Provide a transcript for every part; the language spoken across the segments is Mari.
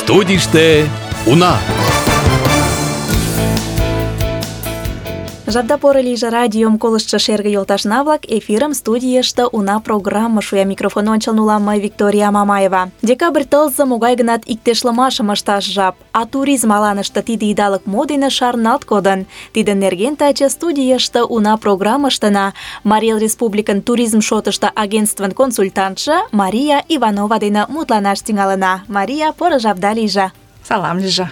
Студийыште уна. Жапда поро лийже, радиом колыштшо шерге йолташна-влак, эфирым студийыште уна программа шуя. Микрофон ончылно улам мый, Виктория Мамаева. Декабрь тылзе могай гынат иктешлымашым ышташ жап, а туризм аланыште тиде идалык мо дене шарналт кодын. Тидын нерген таче студийыште уна программыштына Марий Эл Республикын туризм шотышто агентствын консультантше Мария Иванова дене мутланаш тӱҥалына. Мария, поро жапда лийже. Салам лийже.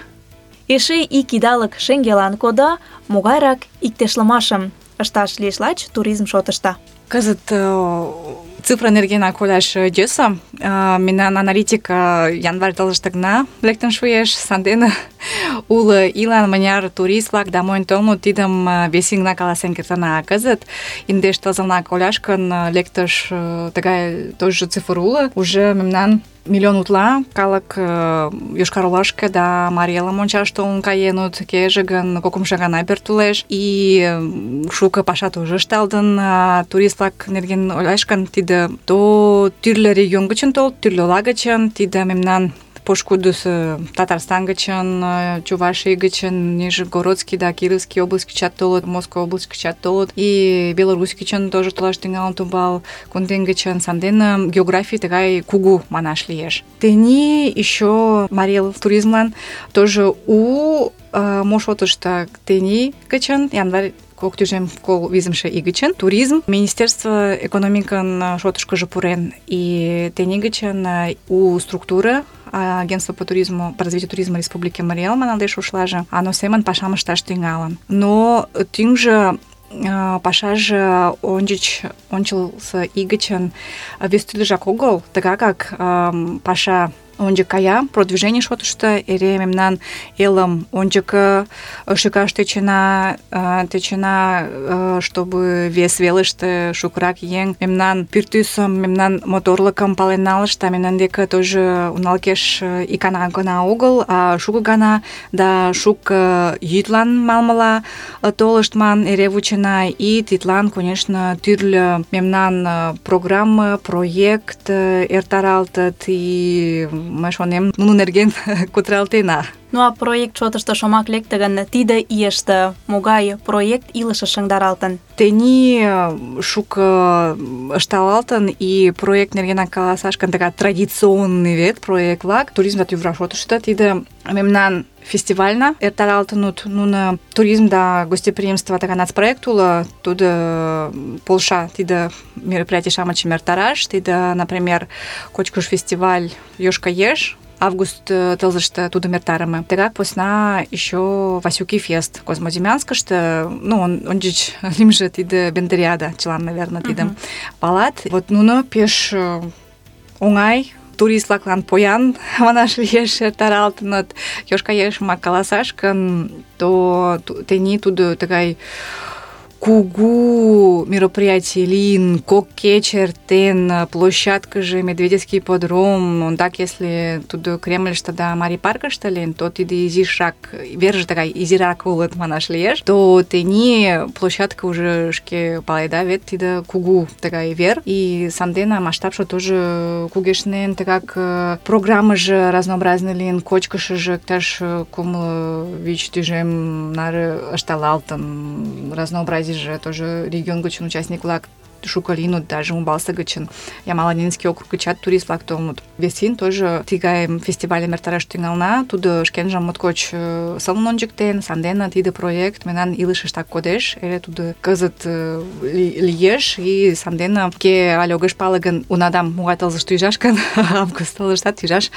Эше ик идалык шеҥгелан кодо, могайрак иктешлымашым ышташ лиеш лач туризм шотышто. Кызыт цифра нергенак ойлаш йӧсӧ. Мемнан аналитика январь тылзыште гына лектын шуэш. Сандене уло ийлан мыняр турист-влак да монь толыныт, тидым вес ийынак каласен кертына. Кызыт индеш тылзынак ойлаш гын, лектыш тыгай тоже цифр уло. Уже мемнан миллион утла калык Йошкар-Олашке да Марий Элым ончаш толын каеныт, кеже гын кокымшо гана пӧртылеш. И шуко паша тоже ышталтын. Турист-влак нерген ойлаш гын, тиде то тӱрлӧ регион гычын толыт, тӱрлӧ ола гычын, тиде мемнан пошкудысо Татарстан гычын, Чуваший гычын, Нижегородский да Кировский область гычат толыт, Москва область гычат толыт, и Беларусь гычын тоже толаш тӱҥалын тумбал, Кундем гычын. Сандене географий тыгай кугу манаш лиеш. Тений еще Марий Эл туризмлан тоже у мо шотышто тений гычын, январь кок тӱжем кол визымше ий гычын туризм Министерство экономикын шотышкыжо пурен, и тений гычын у структура Агентство по туризму, по развитию туризма Республики Марий Эл маналтеш ушлаже, ано семын пашам ышташ тӱҥалын. Но тӱҥжӧ пашаже ончылсо ий гычын вес тӱрлыжак огыл, тыгакак паша ончык кая, продвижение шотышто эре мемнан элым ончыко шӱкаш тӧчена, чтобы вес велыште шукырак еҥ мемнан пӱртӱсым, мемнан моторлыкым пален налышт, да мемнан деке тоже уналкеш икана гына огыл, а шуко гана да шуко йӱдлан малмыла толыштман эре вучена. И тидлан, конечно, тӱрлӧ мемнан программа, проект эртаралтыт, и мый шонем, нунын нерген кутыралтена. Ну а проект шотышто шомак лекте гын, тиде ийыште могай проект илышыш шыҥдаралтын? Тений шуко ышталалтын, и проект нергенак каласаш гын, тыгай традиционный вет проект-влак туризм да тӱвра шотышто тиде мемнан фестивальна эртаралтынут. Нуно туризм да гостеприимство тыгай нацпроект уло, тудо полша тиде мероприятий-шамычым эртараш. Тиде, например, кочкыш фестиваль Йошка-Еш, август тылзыште тудым эртарыме. Тыгак посна еще Васюки фест Козмодемьянскыште, ну, ончыч лимже тиде Бендериада, чылан, наверное, тидым палат. Вот нуно пеш оҥай турист-влаклан поян манаш лиеш эртаралтыныт. Йошка-Ешымак каласаш гын, то тений тудо тыгай кугу мероприятий лийын, кок кече эртен, площадкыже Медведевский ипподром, ондак если тудо Кремльыште да Марий паркыште лийын, то тиде изишак, верже тыгай изирак улыт манаш лиеш, то тений площадка уже шке паледа вет тиде кугу тыгай вер, и сандена масштабше тоже кугешнен, тыгак программыже разнообразный лийын, кочкышыжо иктаж кумло вич тӱжем наре ышталалтын, разнообразие же тоже регион гычын участник-влак шуко лийыныт, даже Умбалсе гычын, Ямало-Ненецкий округ гычат турист-влак толыныт. Вес ийын тоже тыгай фестивальым эртараш тӱҥална. Тудо шкенжым моткоч сылнын ончыктен, сандене тиде проект мемнан илышыштак кодеш. Эре тудо кызыт лиеш, и сандене кӧ але огеш пале гын, унадам могай тылзыште ӱжаш гын, август тылзыштат ӱжаш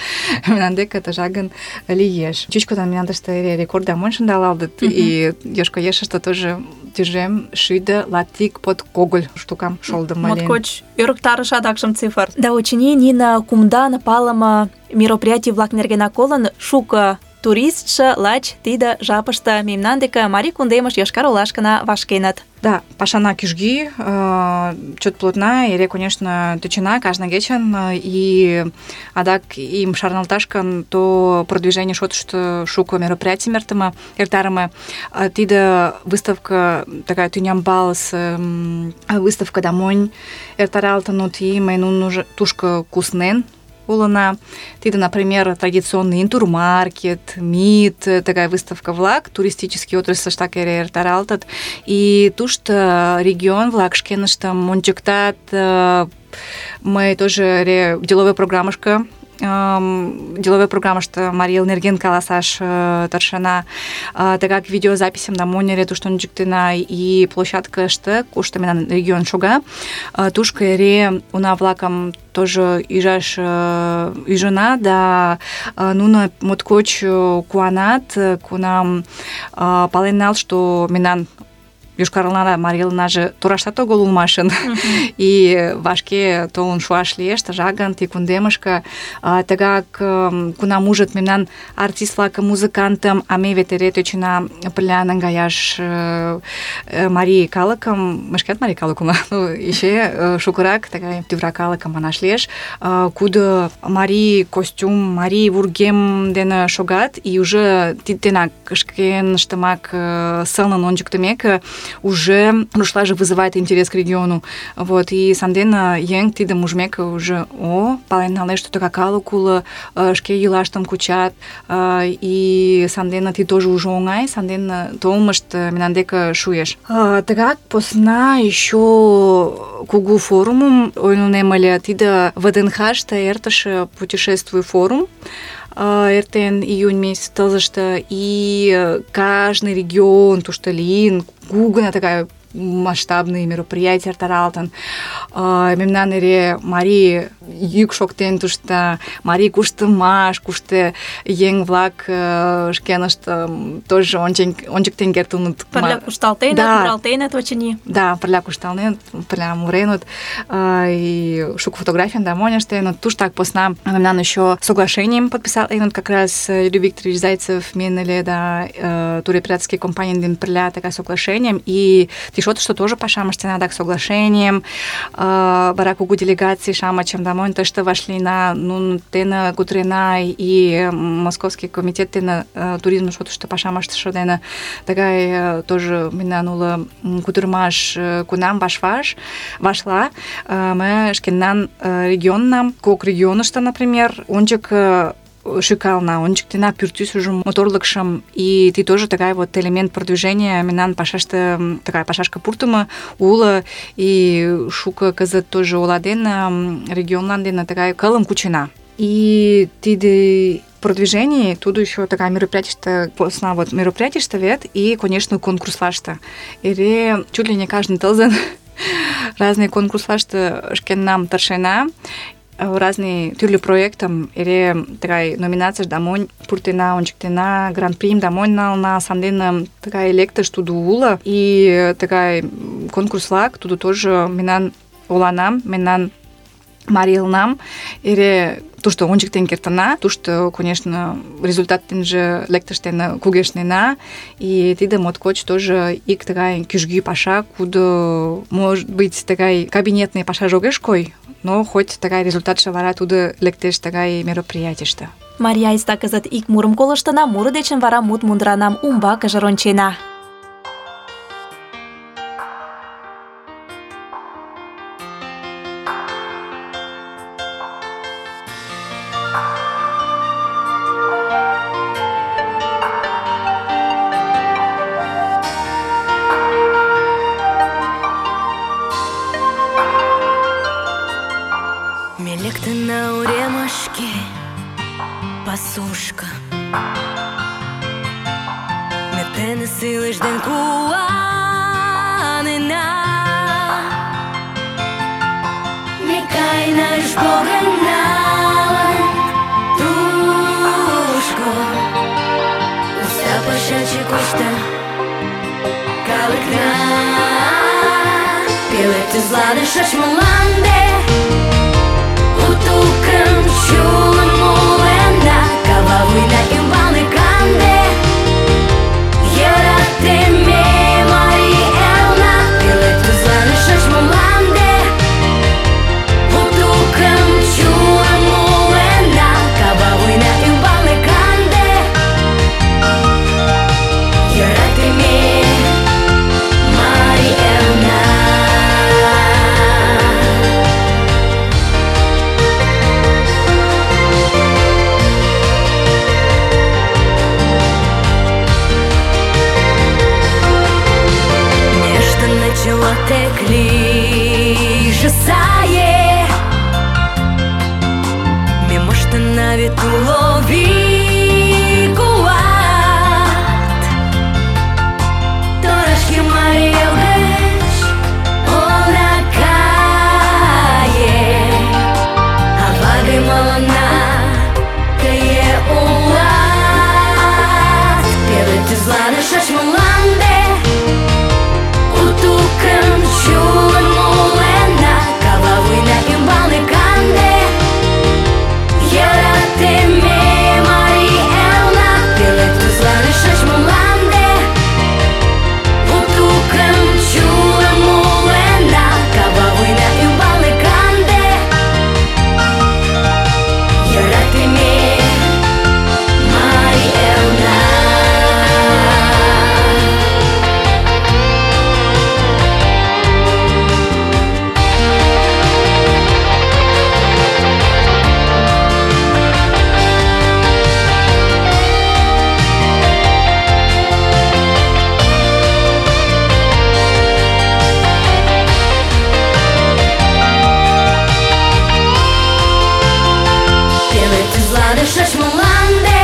мемнан деке тыжак гын лиеш. Чӱчкыдын мемнан тыште эре рекордам монь шындалалтыт, и Йошка-Ешыште тоже тӱжем шӱдӧ латик под когыль штукам шолдымо лийын. Моткоч ӧрыктарыш адакшым цифр. Да очыни, нине кумдан палыме мероприятий-влак нергенак колын, шуко туристше лач тиде жапыште мемнан деке Марий кундемыш, Йошкар-Олашкына вашкеныт. Да, пашана кӱжги, чот плотна, эре, конечно, тӧчена кажне кечын, и адак им шарналташ гын, то продвижение шотышто шуко мероприятий эртарыме. Тиде выставка такая тӱнямбалс, выставка да монь эртаралтынут, и мый нуно тушко куснен улына. Тиде, например, традиционный интурмаркет, МИД, такая выставка-влак, туристический отрасльыштак эре эртаралтыт. И тушто регион-влак шкеныштым ончыктат. Мы тоже эре деловой программышко Марий Эл нерген каласаш тыршена. Тыгак видеозаписьым да монь эре тушто ончыктена и площадкыште, кушто мемнан регион шога, тушко эре уна-влакым тоже ӱжына, да нуно моткоч куанат, кунам пален налыт, что мемнан Йошкар-Олада Марий Элнаже тораштат огыл улмашын. И вашке толын шуаш лиеш, тыжагын, ти кундемышке. Тыгак кунам ужыт мемнан артист-влакым, музыкантым, а ме вет эре тӧчена пырля наҥгаяш марий калыкым, мый шкат марий калык улам, эше шукырак тыгай тӱвра калыкым манаш лиеш, кудо марий костюм, марий вургем дене шогат, и уже тидденак шкеныштымак сылнын ончыктымеке уже рушлаже вызывает интерес к региону. Вот, и сандена еҥ тидым ужмеке уже пален налеш, что тыгак калык уло, шке йӱлаштым кучат, и сандена ти тоже уже оҥай, сандена толмышт мемнан деке шуэш. Тыгак посна еще кугу форумым ойлынем ыле, тиде ВДНХ-ште эртыше путешествуй форум, эртен июнь месяц тылзыште, и каждый регион тушто лийын, кугына такая масштабные мероприятия эртаралтын. Мемнан эре марий йӱк шоктен тушто, марий куштымаш, кушто еҥ-влак шкеныштым тоже ончыктен кертыныт. Пырля кушталтеныт, муралтеныт, очыни. Да, пырля кушталтеныт, пырля муреныт, и шуко фотографиян да монь ыштеныт. Туштак посна мемнан еще соглашением подписаленыт как раз Юрий Викторович Зайцев мен ыле да туроператорский компаниян дене пырля такая соглашением, и тишот, что тоже пашам ыштена так соглашением, вара кугу делегаций шамычым да монь тыште вашлийна, нун дене кутырена, и Московский комитет дене туризм шотышто пашам ыштыше дене тыгай тоже мемнан уло кутырымаш кунам вашла, мы шкенан регионна, кок регионышто, например, ончык шикална, ончыктена пӱртӱсыжым, моторлыкшым, и ты тоже такая вот элемент продвижения мемнан пашаште, такая пашашка пуртымо уло, и шуко кызыт тоже ола дене, регионлан дене такая кылым кучена. И тиде продвижение, туду еще такая мероприятие, посна вот мероприятие вет, и, конечно, конкурслашта. Эре чуть ли не каждый тылзен разные конкурслашта шкеннам тыршена, разные тюрли проектам, эре такая номинация да монь пуртена, ончыктена, гран-прим да монь нална, сандена такая лектыш туду ула, и такая конкурслак, туду тоже мемнан оланам, мемнан Марий Элнам, эре тушто ончыктен кертына, тушто, конечно, результаттен же лектыштен кугешнена, и тиде моткоч тоже ик такая кӱжгӱ паша, кудо, может быть, такая кабинетный паша жогеш кой, но хоть такая результатше вара тудо лектеш такая мероприятийыште. Мария айста кызыт ик мурым колыштына, муро дечын вара мут мундыранам умбакыже рончена. Пасушка, метене силиш ден куанена, Никай наш Богена, тушко, уста пашачи кушта, калыкна, пилети злада шашмаланде, утукам чулам мулена, кававуйна ӱмбалне канде, йӧрате ме Марий Элна, пелед тӱзлане шочмо мланде, утукым чулам мулена, кававуйна ӱмбалне канде, йӧрате ме Марий Элна. на вет улови куат. Торашки Мария гъч она кае, а ваги малана кае улат. Пелет излана шашмаланде, утукъм чулым улена, кава война имбалне канде. Ярате-ме, Мариелна, пелет излана шашмаланде, утукъм чулым улена, кава война имбалне канде. Ярате-ме, Мариелна. Пелет излана шашмаланде,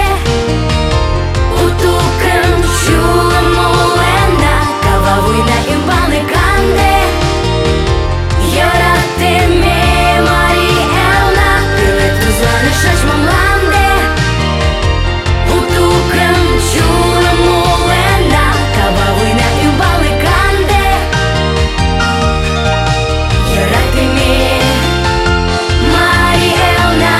утукъм чулым улена, кава война имбалне канде. Ярате-ме, Мариелна, пелет излана шашмаланде, утукъм чулым улена, кава война имбалне канде. Ярате-ме, Мариелна.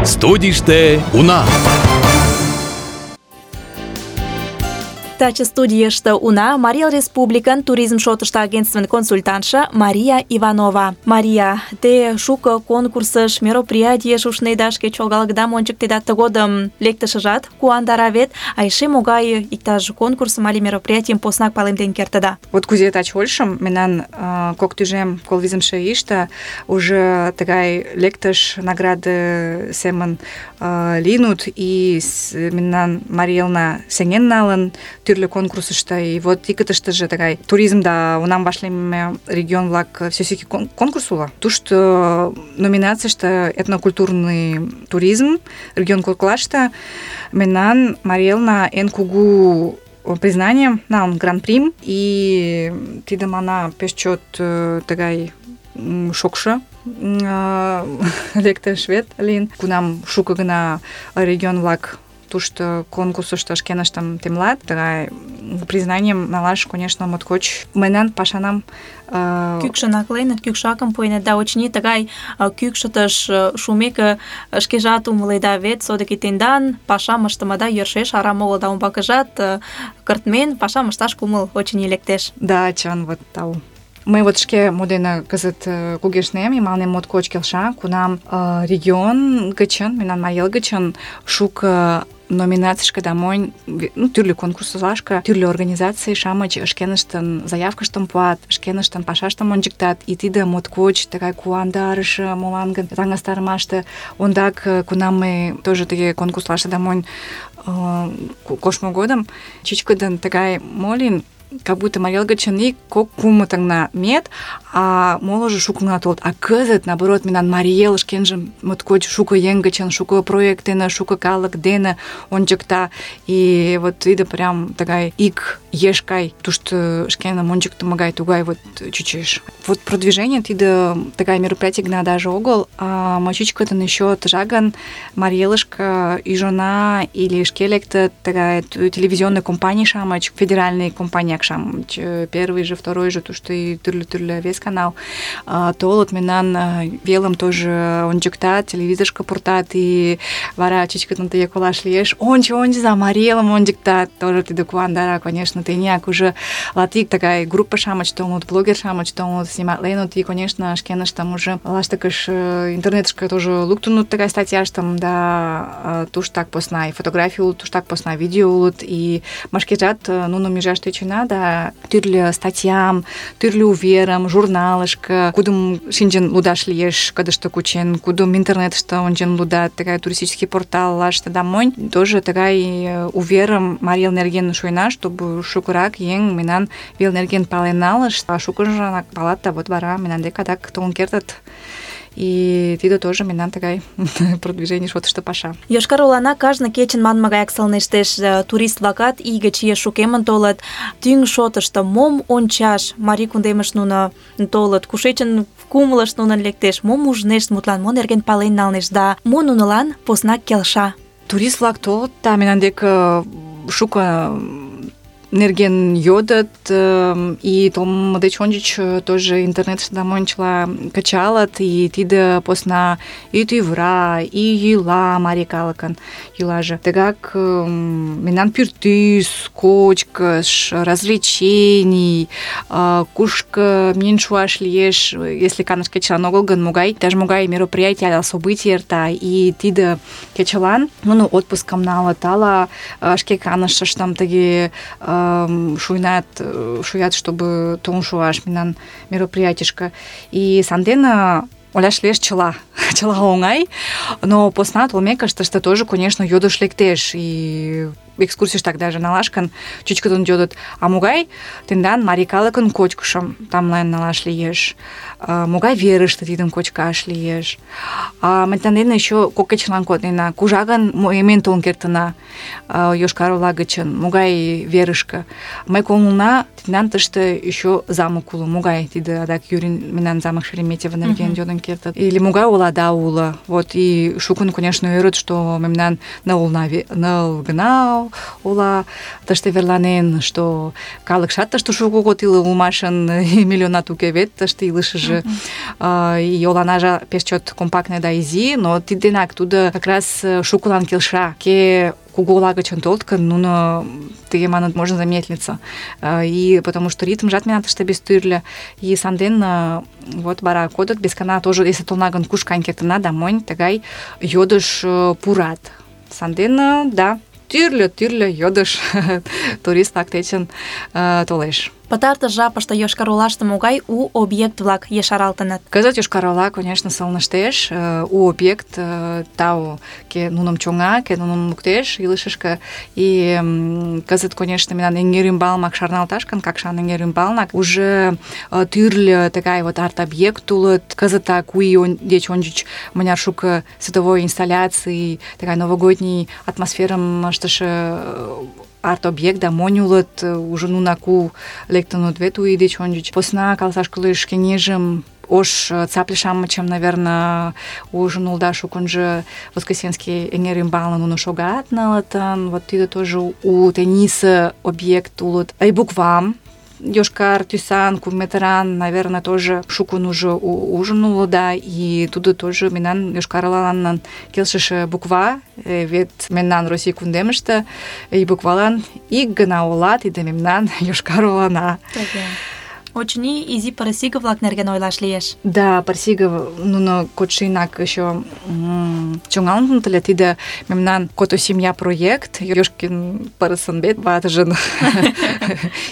Студийыште уна. Таче студийыште уна Марий Республикан туризм шотышто агентствын консультантша Мария Иванова. Мария, те шуко конкурсыш, мероприятиеш ушнеда, шке чолгалыкдам ончыктеда, тыгодым лектышыжат куандара вет, а эше могай иктаж конкурсым але мероприятийым поснак палемден кертыда. Вот кузе таче ойлышым, мемнан кок тӱжем колвизымше ийыште уже тыгай лектыш награды семын лийнут, и мемнан Мариелна сеҥен налын тӱрлӧ конкурсышто. И вот икытыштыже тыгай туризм да унам вашлийме регион-влак всеосийский конкурс уло. Тушто номинацийыште этнокультурный туризм регион коклаште мемнан Мариелна эн кугу признанием налын гран-прим, и тиде мана пеш чот тыгай шокшо лектыш вет лийын, кунам шуко гына регион-влак тушто конкурсышто шкеныштым темлат. Тыгай признанием налаш, конечно, моткоч мыйнан пашанам Кӱкшын акленыт, кӱкшакым пуэныт, да очыни тыгай кӱкшытыш шумеке шкежат умыледа вет, содыки тендан пашам ыштымыда йӧршеш арам огыл, да умбакыжат кыртмен пашам ышташ кумыл очыни лектеш. Да, чын, вот тау. Мый вот шке модена кызыт кугешнем, и мыланем моткоч келша, кунам регион гычын, мемнан Марий гычын шуко номинацийышке да монь, тӱрлӧ конкурсылашке, тӱрлӧ организаций-шамыч шкеныштын заявкыштым пуат, шкеныштын пашаштым ончыктат, и тиде моткоч тыгай куандарыше, молан гын таҥастарымаште. Ондак, кунам мый тоже тыге конкурслаште да монь коштмо годым, чӱчкыдын тыгай мо лийын, как будто Марий гычын ик кок кумытыҥна миет, а молыжо шуко гына толыт. А кызыт, наоборот, мемнан Марий шкенжым моткоч шуко еҥ гычын, шуко проект дене, шуко калык дене ончыкта. И вот тиде прям тыгай ик еш гай тушто шкеным ончыктымо гай тугай вот чучеш. Вот продвижение тиде тыгай мероприятий гына даже огыл, а мый чӱчкыдын еще тыжагын Марий ӱжына или шке лектыт тыгай телевизионный компаний-шамыч, федеральный компания маяк-шамыч, первый же, второй же, тушто и тӱрлӧ вес канал толыт, мемнан велым тоже ончыктат, телевизорышко пуртат, и вара чӱчкыдын тыге колаш лиеш. Ончыза, Марий Элым ончыктат, тоже тиде куандара, конечно, тыняк уже латик такая группа-шамыч толыт, блогер-шамыч толыт, сниматленыт, и, конечно, шкеныштым уже лаштыкыш интернетышке тоже луктынут такая статьяштым, да, туштак посна и фотографий улыт, туштак посна видео улыт, и машкежат нуным ӱжаш тӧчена, да, тӱрлӧ статьям, тӱрлӧ уверым, журналышко, кудым шинчен лудаш лиеш, кыдышто кучен, кудым интернетыште ончен лудат, такая туристический порталлаште, да, монь, тоже такая уверым Марий Эл нерген шуйна, чтобы шукырак еҥ мемнан вел нерген пален налышт, а шукыжынак палат, да вот вара мемнан дек адак толын кертыт. И тиде тоже мемнан тыгай продвижение шотышто паша. Йошкар-Олана кажне кечын манме гаяк сылнештеш, турист-влакат ий гыч еш шукемын толыт. Тӱҥ шотышто мом ончаш Марий кундемыш нуно толыт, кушечын кумылышт нунын лектеш, мом ужнешт, мутлан мо нерген пален налнешт, да мо нунылан поснак келша. Турист-влак толыт, да, мемнан дек шуко нерген йодыт, и толмо деч ончыч тоже интернетыште да мончла кычалыт, и тиде посна и тӱвра, и йӱла марий калыкын йӱлаже. Тыгак мемнан пӱртӱс, кочкыш, развлечений, кушко миен шуаш лиеш, если каныш кечылан огыл гын, иктаж-могай мероприятие ала событий эрта, и тиде кечылан нуно отпускым налыт, ала шке канышыштым тыге шуят, чтобы толын шуаш мемнан мероприятийышко. И сандене оляш лиеш чыла оҥай, но посна толмекышт тыште тоже, конечно, йодыш лектеш, и экскурсийыштак даже налаш гын, чӱчкыдын йодыт, а могай тендан марий калыкын кочкышым тамлен налаш лиеш, могай верыште тидым кочкаш лиеш. Мемнан дене еще кок кечылан коднена, кужа гын эмен толын кертына Йошкар-Ола гычын, могай верышке. Мый колына, тендан тыште еще замок уло, могай тиде адак Юрин мемнан замок Шереметьево нерген йодын кертыт. Или могай олада уло. Вот, и шукын, конечно, ӧрыт, что мемнан ныл гына ола тыште верланен, что калыкшат тыште шуко год иле улмашын, миллионат уке вет тыште илышыже. И оланажа пеш чот компактный да изи, но тиденак тудо как раз шукылан келша. Ке кугу ола гычын толыт гын, нуно тыге маныт, можно замедлиться. И потому что ритмжат мемнан тыште без тӱрлӧ. И санден вот вара кодыт, бескана тоже, если толна гын кушкан кертына, да монь тыгай йодыш пурат. Санден, да, тӱрлӧ йодыш турист-влак дечын толеш. Пытартыш жапыште Йошкар-Олаште могай у объект-влак ешаралтыныт? Кызыт Йошкар-Ола, конечно, сылныштеш. У объект тау, ке нуным чоҥа, ке нуным луктеш илышышке. И кызыт, конечно, мемнан эҥер ӱмбалнак шарналташ гын, Какшан эҥер ӱмбалнак уже тӱрлӧ тыгай вот арт-объект улыт. Кызытак у ий деч ончыч мыняр шуко световой инсталляций, тыгай новогодний атмосферым ыштыше арт-объект, да монь улыт, уже нунак у лектыныт вет у ий деч ончыч. Посна каласаш кӱлеш, кеҥежым ош цапле-шамычым, наверное, ужын улда шукынжо Воскресенский эҥер ӱмбалне нуно шогат налытын. Вот тиде тоже у теннисе объект улыт. И буквам йошкар тӱсан, кумметран, наверное, тоже шукын уже ужын улыда, и тудо тоже мемнан Йошкар-Олалан келшыше буква, вет мемнан Россий кундемыште и буквалан ик гына ола, тиде мемнан Йошкар-Олана. Очыни, изи пырысиге-влак нерген ойлаш лиеш. Да, пырысиге, нуно кодшыйнак еще чоҥалтыныт ыле. Тиде мемнан Кото-семья проект, Йошкин пырысын бет ватыжын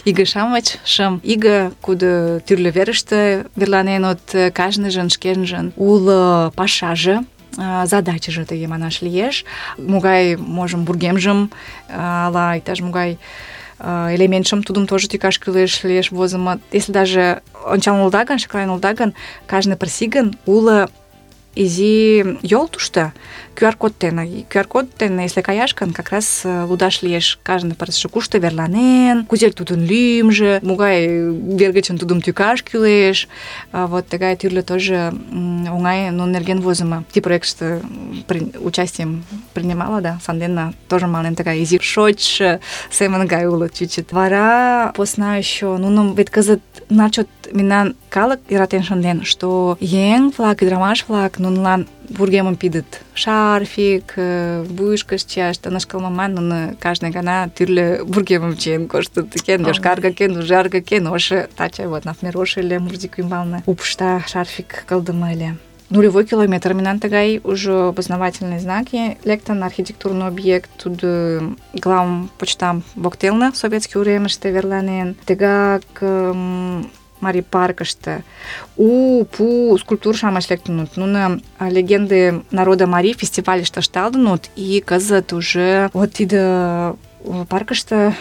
иге-шамыч, шым иге, кудо тӱрлӧ верыште верланеныт, кажныжын шкенжын уло пашаже, задачыже тыге манаш лиеш. Могай, можым, вургемжым, ала иктаж-могай элементшым тудым тоже тӱкаш кӱлеш лиеш возымо. Если даже ончалын улыда гын, шекланен улыда гын, кажне пырысигын уло изи йол тушто QR-код дене. QR-код дене, если каяш гын, как раз лудаш лиеш кажне пырысше кушто верланен, кузе тудын лӱмжӧ, могай вер гычын тудым тӱкаш кӱлеш. Вот тыгай тӱрлӧ тоже оҥай нунын нерген возымо. Ти проектыште участием принимала, да, сандене тоже мален тыгай изи шочшо семын гай улыт чуть-чуть. Вара посна еще нуным вет кызыт начот мемнан калык йӧратен шынден, что еҥ-влак, ӱдырамаш-влак нунылан вургемым пидыт. Шарфик, вуйышкышт чияш, тынышкылмыман нуно кажне гана тӱрлӧ вургемым чиен коштыт. Кен йошкарге, кен ужарге, кен ошо. Таче вот, например, ошо ыле Мурзик ӱмбалне. Упшта шарфик кылдыме ыле. Нулевой километр мемнан тыгай уже опознавательный знаки лектын, архитектурный объект, тудо главпочтам воктелне советский уремыште верланен. Тыгак Марий паркыште у-пу скульптур-шамыч лектыныт. Нуно легенды народа Марий фестивальыште ышталтыныт, и кызыт уже вот тиде паркыште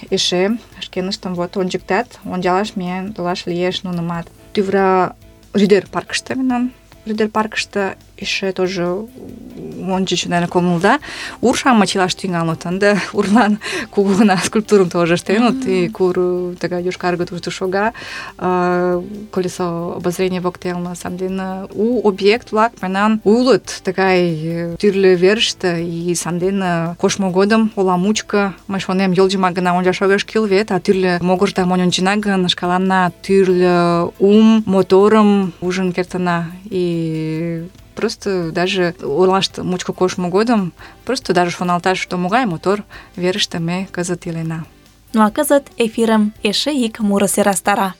эше шкеныштым вот ончыктат, ончалаш миен толаш лиеш нунымат. Тӱвра Рӱдер паркыште мемнан. Рӱдер паркыште эше тоже ончыч, наверное, комылда. Ур-шамыч илаш тӱҥалыныт. Ынде урлан кугу гына скульптурым тоже ыштеныт, и кур тыгай йошкарге тушто шога, колесо обозрения воктелне. Сандене у объект-влак мемнан улыт тыгай тӱрлӧ верыште, и сандене коштмо годым ола мучко мый шонем, йолжымак гына ончаш огеш кӱл вет, а тӱрлӧ могырда монь ончена гын, шкаланна тӱрлӧ моторым ужын кертына. И просто даже олаште мучко коштмо годым просто даже шоналташ, что могай мотор верыште ме кызыт илена. Ну а кызыт эфирым эше ик муро сӧрастара.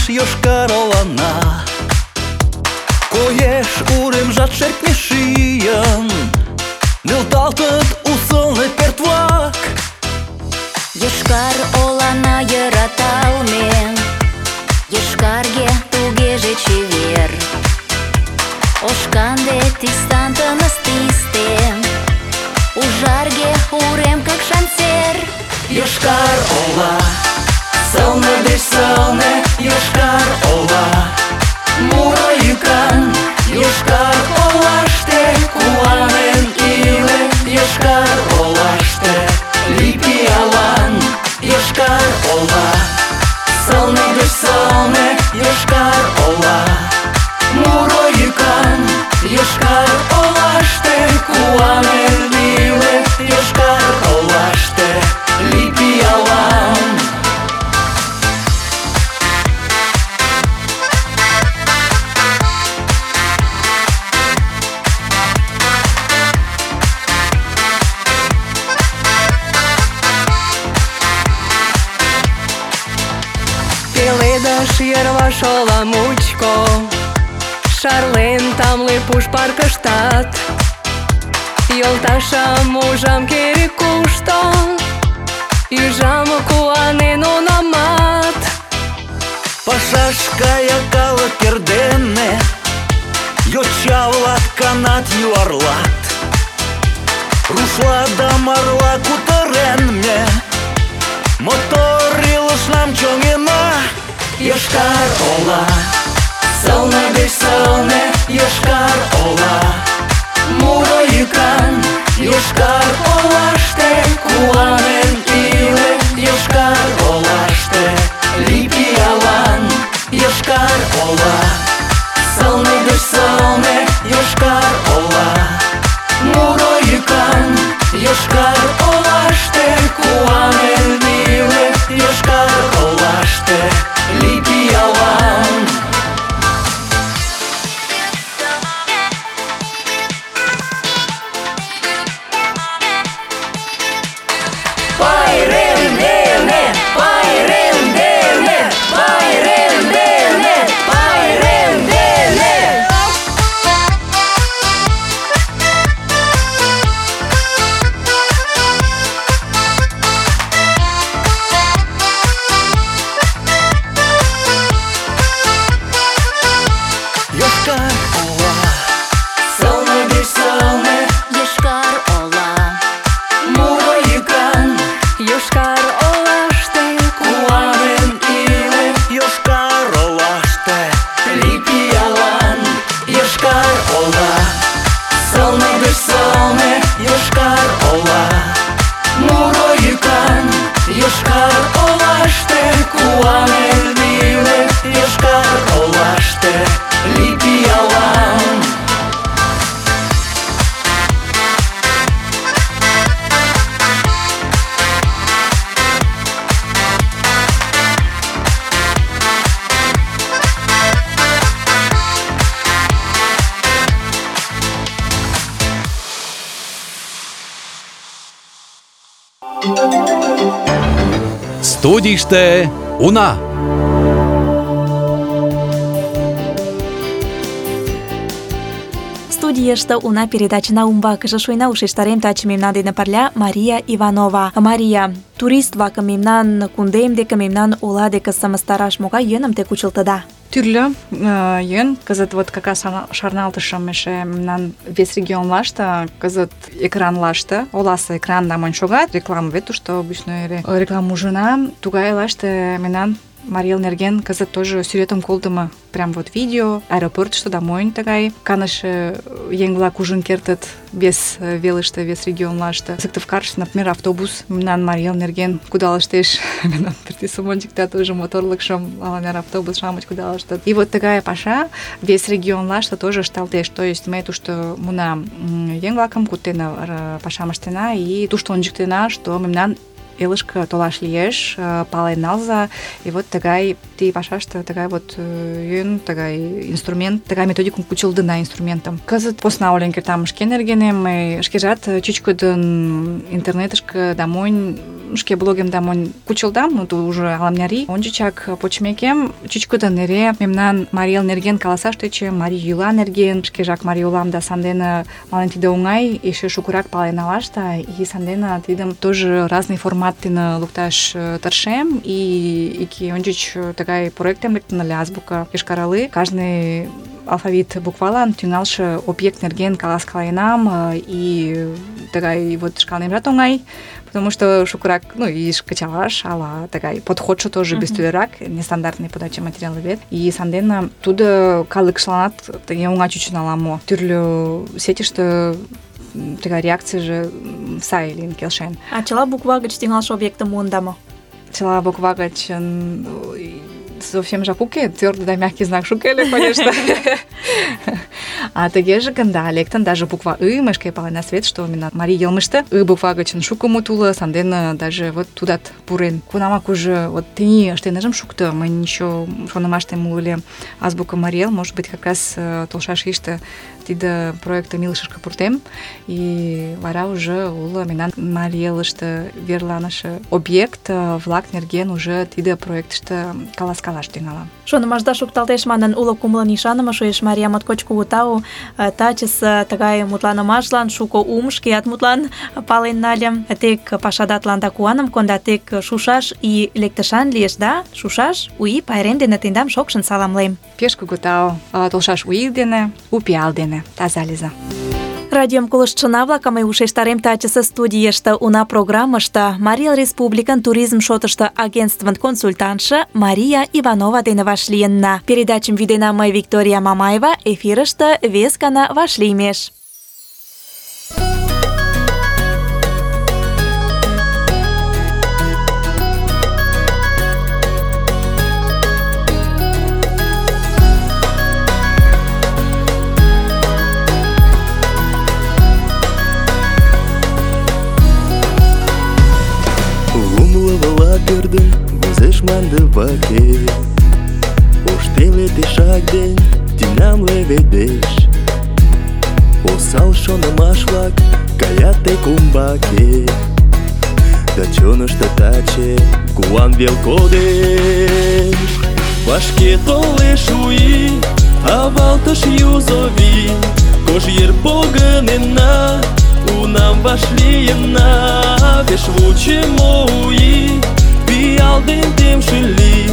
Йошкар-Олана, коеш уремжат шертне шийын, нӧлталтыт у сылне пӧрт-влак. Йошкар-Олана йӧраталме, йошкарге тугеже чевер. Ош-канде тистан тыныс тисте, ужарге урем какшан сер. Йошкар-Ола, сылне деч сылне, Йошкар-Ола, муро йӱкан. Йошкар-Олаште куанен иле, Йошкар-Олаште лий пиалан. Йошкар-Ола, сылне деч сылне, Йошкар-Ола, муро йӱкан. Йошкар-Олаште куанен иле, Йошкар-Олаште лий пиалан. Пеледыш йырваш ола мучко, шарлен тамле пуш паркыштат. Йолташым ужам керек-кушто, ӱжам куанен унамат. Пашаш кая калык эрдене, йоча-влак канат юарлат. Рушла да марла кутырен ме, мотор илышнам чоҥена. Йошкар-Ола, сылне деч сылне, Йошкар-Ола, муро йӱкан. Йошкар-Олаште куанен иле, Йошкар-Олаште лий пиалан. Йошкар-Ола, сылне деч сылне, Йошкар-Ола, муро йӱкан. Йошкар-Олаште куанен иле, Йошкар-Олаште лий пиалан. Йошкар-Олаште куанен илет, Йошкар-Олаште лий пиалан. Студийыште уна! Студийыште уна передачына умбакыже шуйна ушештарем таче мемнан дене пырля Мария Иванова. Мария, турист-влакым мемнан кундем деке, мемнан ола деке сымыстараш могай йӧным те кучылтыда? Тӱрлӧ йӧн. Кызыт вот как раз шарналтышым эше мемнан вес регионлаште, кызыт экранлаште, оласе экран да монь шогат, реклама вет тушто обычно эре реклама ужына. Тугай лаште мемнан Марий Эл нерген кызыт тоже сӱретым колтымо, прям вот видео, аэропортышто да монь тыгай каныше еҥ-влак ужын кертыт вес велыште, вес регионлаште. Сыктывкарыште, например, автобус мемнан Марий Эл нерген кудалыштеш, мемнан пӱртӱсым ончыкта тоже моторлыкшым, ала-нер автобус-шамыч кудалыштыт. И вот тыгай паша вес регионлаште тоже ышталтеш. То есть ме тушто муна еҥ-влакым куттена, пашам ыштена и тушто ончыктена, что мемнан элышке толаш лиеш, пален налза. И вот тыгай ти пашаште тыгай вот йӧн, тыгай инструмент, тыгай методикым кучылтына инструментым. Кызыт посна олен кертам шке нергенем, мый шкежат чӱчкыдын интернетышке да монь, шке блогем да монь кучылдам, ну то уже ала-мыняри. Ончычак почмекем чӱчкыдын эре мемнан Марий Эл нерген каласаш тӧчем, марий йӱла нерген, шкежак марий улам да сандене мален тиде оҥай, эше шукырак пален налаш да и сандене тидым тоже разный формат дене лукташ тыршем. И ики ончыч тыгай проектем лектын ыле азбука йошкар-Олы. Каждый алфавит буквалан тӱҥалше объект нерген каласкаленам, и тыгай вот шкалнемжат оҥай, потому что шукырак, ну, и кычалаш, ала тыгай подходшо тоже бестӱлерак, нестандартный подача материалы вет. И сандене тудо калыкшланат тыге оҥай чучын ала-мо. Тӱрлӧ сетьыште тыгай реакцийже сай лийын келшен. А чыла буква гыч тӱҥалше объектым муында мо? Чыла буква гыч совсем жак уке, твёрдый да мягкий знак шуке ыле, конечно. А тыгеже гын, да, лектын даже буква «ы», мый шке палена свет, что именно Марий Элмыште «ы» буква гычын шуко мут уло, сандене даже вот тудат пурен. Кунамак уже вот тений ыштенежым шукто, мынь еще шонымаштем уло азбука Марий Эл, может быть, как раз толшаш ийыште тиде проектым илышышке пуртем, и вара уже уло мемнан Марий Элыште верланыше объект-влак нерген уже тиде проектыште каласкалаш тӱҥалам. Шонымашда шукталтеш манын, уло кумылын ӱшаныме шуэш. Мария, моткоч кугу тау тачысе тыгай мутланымашлан, шуко шкеат мутлан пален нальым. Тек пашадатланда куаным конда, тек шушаш и лектышан лиеш, да? Шушаш у ий пайрем дене тендам шокшын саламлем. Пеш кугу тау толшаш у ий дене, у пиал дене. Таза лийза. Радиом колыштшына-влакым мый ушештарем тачысе студийыште уна программыште Марий Эл Республикын туризм шотышто агентствын консультантше Мария Иванова дене вашлийынна. Передачым вӱдена мый, Виктория Мамаева, эфирыште вес гана вашлиймеш. Пӧрдын возеш мландываке, ош теле тешак ден тӱням леведеш. Осал шонымаш-влак каят тек умбаке, да чонышто таче куан вел кодеш. Вашке толеш у ий, авалтыш юзо вий, кож йыр погынена, унам вашлийына. Пеш вучымо у ий, пиал ден темше лий,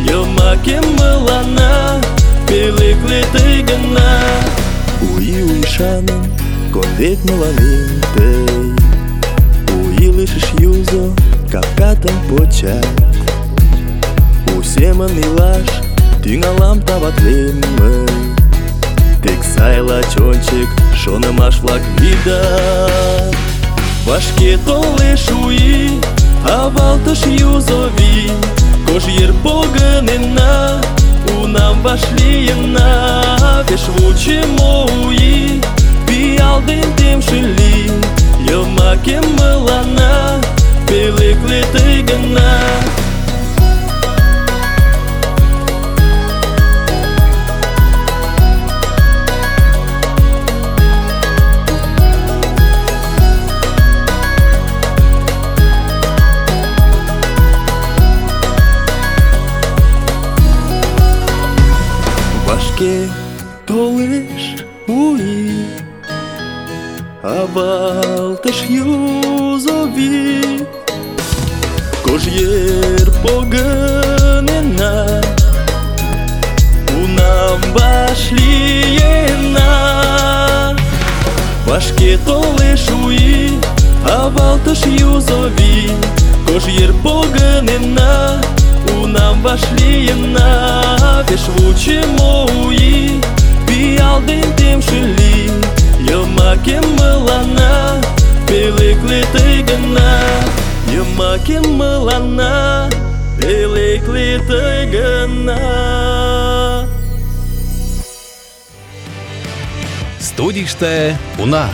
йомакем мыланна, пӧлекле тый гына. У ий ӱшаным кондет мыланем тый, у илышыш юзо капкатым почат. У семын илаш тӱҥалам таватлен мый, тек сайла чончик шонымаш-влак лийдат. Вашке толеш у ий, Авалтыш юзо вий, кож йыр погынена, унам вашлийына, пеш вучымо у ий, пиал ден темше лий, йомакем мыланна, пӧлекле тый гына. Вашке толеш у ий, авалтыш юзо вий, кож йыр погынена, унам вашлийына. Вашке толеш у ий, авалтыш юзо вий, кож йыр погынена, унам вашлийына, пеш вучымо у ий, пиал ден темше лий, йомакем мыланна, пӧлекле тый гына. Йомакем мыланна, пӧлекле тый гына. Студийыште уна.